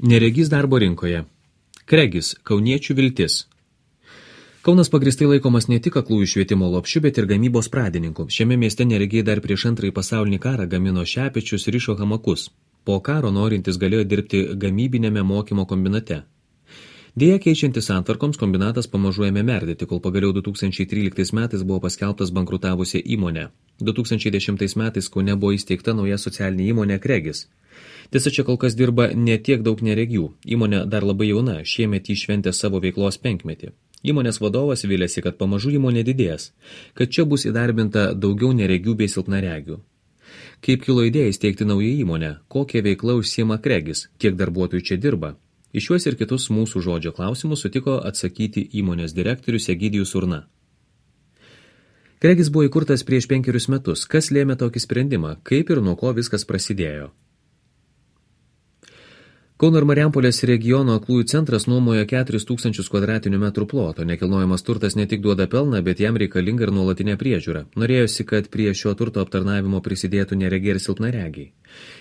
Neregys darbo rinkoje. Kregis – kauniečių viltis. Kaunas pagristai laikomas ne tik aklųjų švietimo lopšiu, bet ir gamybos pradininku. Šiame mieste neregiai dar prieš Antrąjį pasaulinį karą gamino šepečius, rišo hamakus. Po karo norintis galėjo dirbti gamybinėme mokymo kombinate. Deja, keičiantis santvarkoms, kombinatas pamažu ėmė merdėti, kol pagaliau 2013 metais buvo paskelbtas bankrutavusi įmonė. 2010 metais Kaune buvo įsteigta nauja socialinė įmonė Kregis. Tiesa, čia kol kas dirba ne tiek daug neregių. Įmonė dar labai jauna, šiemet įšventė savo veiklos 5-metį. Įmonės vadovas vylėsi, kad pamažu įmonė didės, kad čia bus įdarbinta daugiau neregių bei silpnaregių. Kaip kilo idėja įsteigti naują įmonę, kokia veikla užsiima Kregis, kiek darbuotojų čia dirba? Iš šiuos ir kitus mūsų žodžio klausimus sutiko atsakyti įmonės direktorius Egidijus Urna. Kregis buvo įkurtas prieš 5 metus. Kas lėmė tokį sprendimą? Kaip ir nuo ko viskas prasidėjo? Kauno ir Marijampolės regiono aklųjų centras nuomoja 4000 kvadratinių metrų ploto. Nekilnojamas turtas ne tik duoda pelną, bet jam reikalinga ir nuolatinė priežiūra. Norėjosi, kad prie šio turto aptarnavimo prisidėtų neregiai ir silpnaregiai.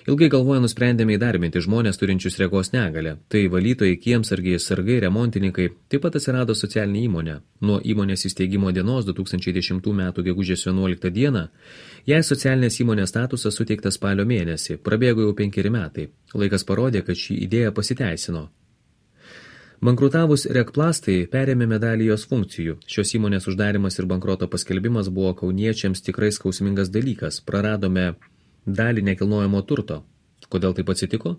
Ilgai galvoję nusprendėme įdarbinti žmonės turinčius regos negalią. Tai valytojai, kiemsargiai, sargai, remontininkai. Taip pat atsirado socialinė įmonė. Nuo įmonės įsteigimo dienos 2010 m. gegužės 11 d. jai socialinės įmonės statusas suteiktas spalio mėnesį. Prabėgo jau 5 metai. Laikas parodė, kad šį idėja pasiteisino. Bankrutavus Rekplastai perėmė medalį jos funkcijų. Šios įmonės uždarimas ir bankroto paskelbimas buvo kauniečiams tikrai skausmingas dalykas. Praradome dalį nekilnojamo turto. Kodėl taip atsitiko?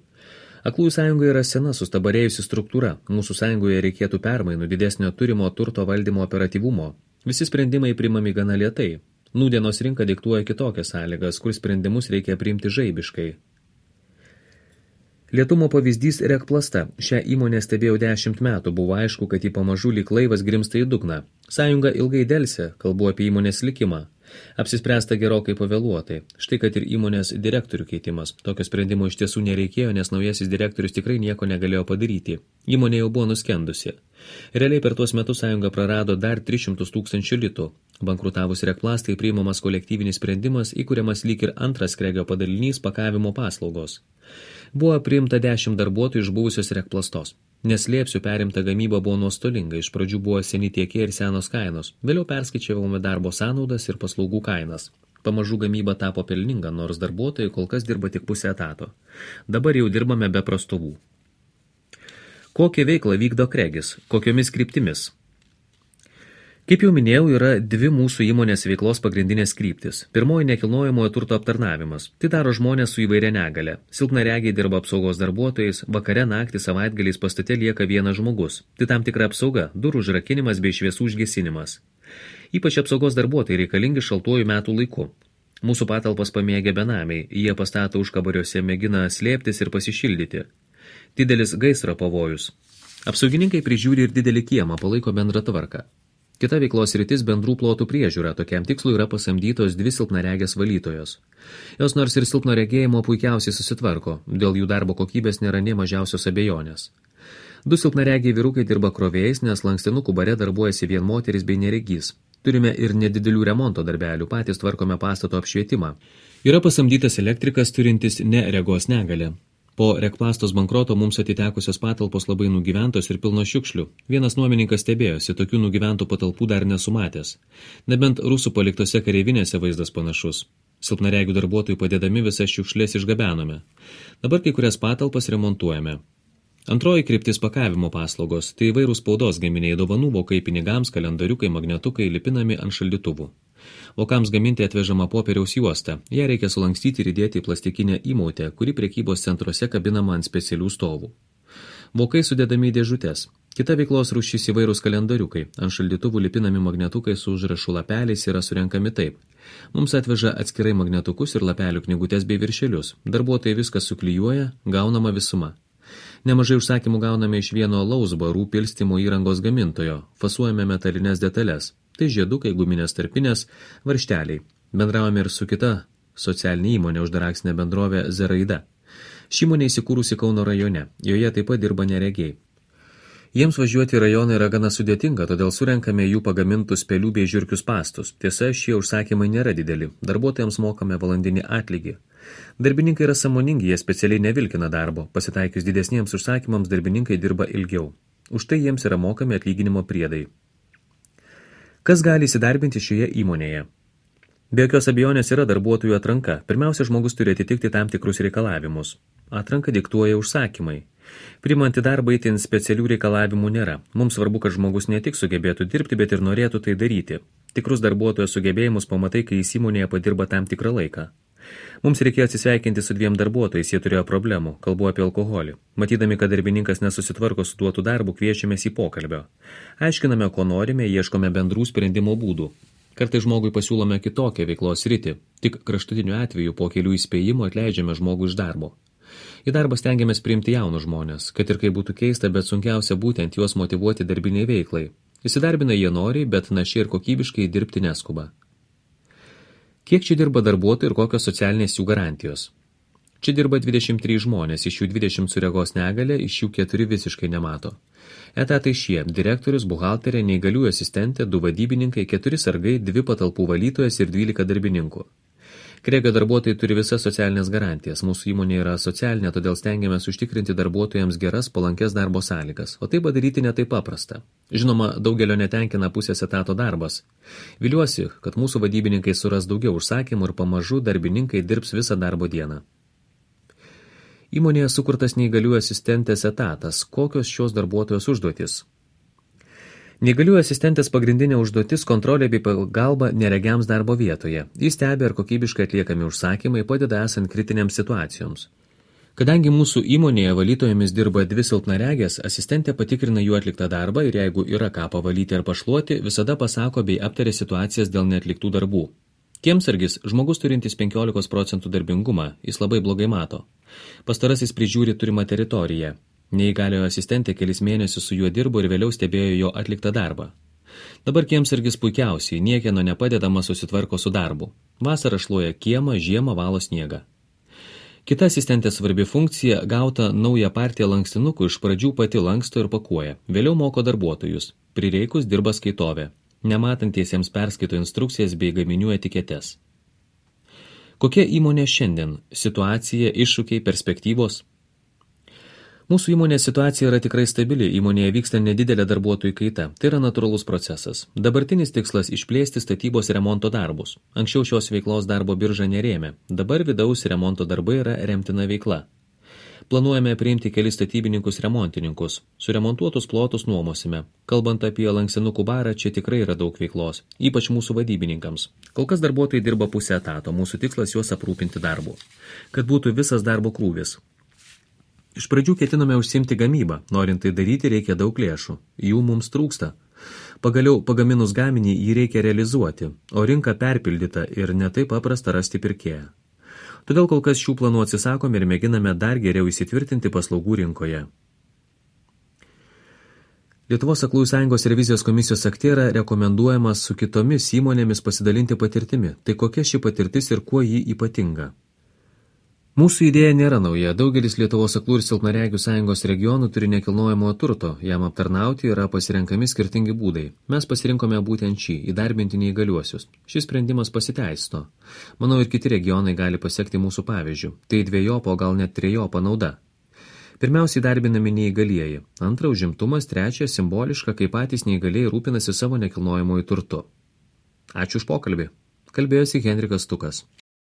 Aklųjų sąjunga yra sena, sustabarėjusi struktūra. Mūsų sąjungoje reikėtų permainų, didesnio turimo turto valdymo operatyvumo. Visi sprendimai priimami gana lėtai. Nūdienos rinka diktuoja kitokias sąlygas, kur sprendimus reikia priimti žaibiškai. Lietumo pavyzdys Rekplasta. Šią įmonę stebėjau 10 metų. Buvo aišku, kad ji pamažu lyg laivas grimsta į dugną. Sąjunga ilgai delsė, kalbu apie įmonės likimą. Apsispręsta gerokai pavėluotai. Štai kad ir įmonės direktorių keitimas. Tokio sprendimo iš tiesų nereikėjo, nes naujasis direktorius tikrai nieko negalėjo padaryti. Įmonė jau buvo nuskendusi. Realiai per tuos metus sąjunga prarado dar 300 000 litų. Bankrutavus Rekplastai priimamas kolektyvinis sprendimas, įkuriamas lyg ir antras Kregio padalinys pakavimo paslaugos. Buvo priimta 10 darbuotojų iš buvusios Rekplastos. Neslėpsiu, perimta gamyba buvo nuostolinga. Iš pradžių buvo seni tiekėjai ir senos kainos. Vėliau perskaičiavome darbo sąnaudas ir paslaugų kainas. Pamažu gamyba tapo pelninga, nors darbuotojai kol kas dirba tik pusę etato. Dabar jau dirbame be prastovų. Kokią veiklą vykdo Kregis? Kokiomis kryptimis? Kaip jau minėjau, yra 2 mūsų įmonės veiklos pagrindinės kryptis. Pirmoji – nekilnojamojo turto aptarnavimas. Tai daro žmonės su įvairia negale. Silpnaregiai dirba apsaugos darbuotojais, vakare, naktį, savaitgaliais pastate lieka vienas žmogus. Tai tam tikra apsauga, durų užrakinimas bei šviesų užgesinimas. Ypač apsaugos darbuotojai reikalingi šaltuoju metų laiku. Mūsų patalpas pamėgę benamiai, jie pastato užkabariuose, mėgina slėptis ir pasišildyti. Didelis gaisro pavojus. Apsaugininkai prižiūri ir didelį kiemą, palaiko bendrą tvarką. Kita veiklos rytis bendrų plotų priežiūra. Tokiam tikslui yra pasamdytos 2 silpnaregės valytojos. Jos nors ir silpno regėjimo puikiausiai susitvarko, dėl jų darbo kokybės nėra nė mažiausios abejonės. 2 silpnaregiai vyrukai dirba krovėjais, nes lankstinukų bare darbuojasi vien moteris bei neregys. Turime ir nedidelių remonto darbelių, patys tvarkome pastato apšvietimą. Yra pasamdytas elektrikas turintis ne regos negalę. Po Rekplastos bankroto mums atitekusios patalpos labai nugyventos ir pilnos šiukšlių. Vienas nuomininkas stebėjosi, tokių nugyventų patalpų dar nesumatęs. Nebent rusų paliktose kareivinėse vaizdas panašus. Silpnaregių darbuotojų padėdami visas šiukšlės išgabenome. Dabar kai kurias patalpas remontuojame. Antroji kryptis pakavimo paslaugos. Tai įvairūs spaudos gaminiai, dovanų vokai pinigams, kalendariukai, magnetukai lipinami ant šaldytuvų. Vokams gaminti atvežama popieriaus juosta. Ją reikia sulankstyti ir įdėti į plastikinę įmautę, kuri prekybos centruose kabinama ant specialių stovų. Vokai sudedami į dėžutes. Kita veiklos rūšis įvairūs kalendariukai. Ant šaldytuvų lipinami magnetukai su užrašų lapeliais yra surenkami taip. Mums atveža atskirai magnetukus ir lapelių knygutės bei viršelius. Darbuotojai viskas suklijuoja, gaunama visuma. Nemažai užsakymų gauname iš vieno alaus barų pilstymo įrangos gamintojo. Fasuojame metalines detalės. Tai žiedukai, guminės tarpinės, varžteliai. Bendravome ir su kita socialinė įmonė uždaraksinė bendrovė Zeraida. Ši įmonė įsikūrusi Kauno rajone. Joje taip pat dirba neregiai. Jiems važiuoti į rajoną yra gana sudėtinga, todėl surenkame jų pagamintus pelių bei žiurkių spastus. Tiesa, šie užsakymai nėra dideli. Darbuotojams mokame valandinį atlygį. Darbininkai yra sąmoningi, jie specialiai nevilkina darbo. Pasitaikius didesniems užsakymams darbininkai dirba ilgiau. Už tai jiems yra mokami atlyginimo priedai. Kas gali įsidarbinti šioje įmonėje? Be jokios abejonės yra darbuotojų atranka. Pirmiausia, žmogus turi atitikti tam tikrus reikalavimus. Atranką diktuoja užsakymai. Priimant į darbą itin specialių reikalavimų nėra. Mums svarbu, kad žmogus ne tik sugebėtų dirbti, bet ir norėtų tai daryti. Tikrus darbuotojo sugebėjimus pamatai, kai jis įmonėje padirba tam tikrą laiką. Mums reikėjo atsisveikinti su 2 darbuotojais, jie turėjo problemų, kalbu apie alkoholį. Matydami, kad darbininkas nesusitvarko su duotu darbu, kviečiamės į pokalbio. Aiškiname, ko norime, ieškome bendrų sprendimo būdų. Kartais žmogui pasiūlome kitokią veiklos sritį, tik kraštutiniu atveju po kelių įspėjimų atleidžiame žmogų iš darbo. Į darbą stengiamės priimti jaunus žmonės, kad ir kai būtų keista, bet sunkiausia būtent juos motyvuoti darbiniai veiklai. Įsidarbina jie noriai, bet našiai ir kokybiškai dirbti neskuba. Kiek čia dirba darbuotojų ir kokios socialinės jų garantijos? Čia dirba 23 žmonės, iš jų 20 su regos negalia, iš jų 4 visiškai nemato. Etatai šie – direktorius, buhalterė, neįgaliųjų asistentė, 2 vadybininkai, 4 sargai, 2 patalpų valytojas ir 12 darbininkų. Kregio darbuotojai turi visas socialinės garantijas. Mūsų įmonė yra socialinė, todėl stengiamės užtikrinti darbuotojams geras, palankės darbo sąlygas. O tai padaryti ne taip paprasta. Žinoma, daugelio netenkina pusės etato darbas. Viliuosi, kad mūsų vadybininkai suras daugiau užsakymų ir pamažu darbininkai dirbs visą darbo dieną. Įmonėje sukurtas neįgaliųjų asistentės etatas. Kokios šios darbuotojos užduotys? Neįgaliųjų asistentės pagrindinė užduotis – kontrolė bei pagalba neregiams darbo vietoje. Jis stebi, ar kokybiškai atliekami užsakymai padeda esant kritinėms situacijoms. Kadangi mūsų įmonėje valytojomis dirba 2 silpnaregės, asistentė patikrina jų atliktą darbą ir jeigu yra ką pavalyti ar pašluoti, visada pasako bei aptaria situacijas dėl neatliktų darbų. Kiemsargis – žmogus turintis 15% darbingumą, jis labai blogai mato. Pastarasis prižiūri turimą teritoriją. Neįgaliojo asistentė kelis mėnesius su juo dirbo ir vėliau stebėjo jo atliktą darbą. Dabar kiemsargis puikiausiai, niekieno nepadedama susitvarko su darbu. Vasarą šluoja kiemą, žiemą valo sniegą. Kita asistentės svarbi funkcija – gauta naują partiją lankstinukų iš pradžių pati lanksto ir pakuoja, vėliau moko darbuotojus. Prireikus dirba skaitovė. Nematantiesiems perskaito instrukcijas bei gaminių etiketes. Kokia įmonė šiandien? Situacija, iššūkiai, perspektyvos? Mūsų įmonės situacija yra tikrai stabili, įmonėje vyksta nedidelė darbuotojų kaita. Tai yra natūralus procesas. Dabartinis tikslas – išplėsti statybos remonto darbus. Anksčiau šios veiklos darbo birža nerėmė. Dabar vidaus remonto darbai yra remtina veikla. Planuojame priimti kelis statybininkus remontininkus. Suremontuotus plotus nuomosime. Kalbant apie lanksinukų barą, čia tikrai yra daug veiklos, ypač mūsų vadybininkams. Kol kas darbuotojai dirba pusę etato, mūsų tikslas juos aprūpinti darbu. Kad būtų visas darbo krūvis. Iš pradžių ketiname užsiimti gamybą. Norint tai daryti, reikia daug lėšų. Jų mums trūksta. Pagaliau, pagaminus gaminį, jį reikia realizuoti, o rinka perpildyta ir netaip paprasta rasti pirkėją. Todėl kol kas šių planų atsisakome ir mėginame dar geriau įsitvirtinti paslaugų rinkoje. Lietuvos Aklųjų sąjungos revizijos komisijos akte yra rekomenduojamas su kitomis įmonėmis pasidalinti patirtimi. Tai kokia ši patirtis ir kuo ji ypatinga? Mūsų idėja nėra nauja. Daugelis Lietuvos aklų ir silpnaregių sąjungos regionų turi nekilnojamojo turto. Jam aptarnauti yra pasirenkami skirtingi būdai. Mes pasirinkome būtent šį – įdarbinti neįgaliuosius. Šis sprendimas pasiteisino. Manau, ir kiti regionai gali pasekti mūsų pavyzdžių. Tai dvejopa, gal net trejopa nauda. Pirmiausia, įdarbinami neįgalieji. Antra, užimtumas. Trečia, simboliška, kai patys neįgalieji rūpinasi savo nekilnojamojo turtu. Ačiū už pokalbį. Kalbėjosi Henrikas Stukas.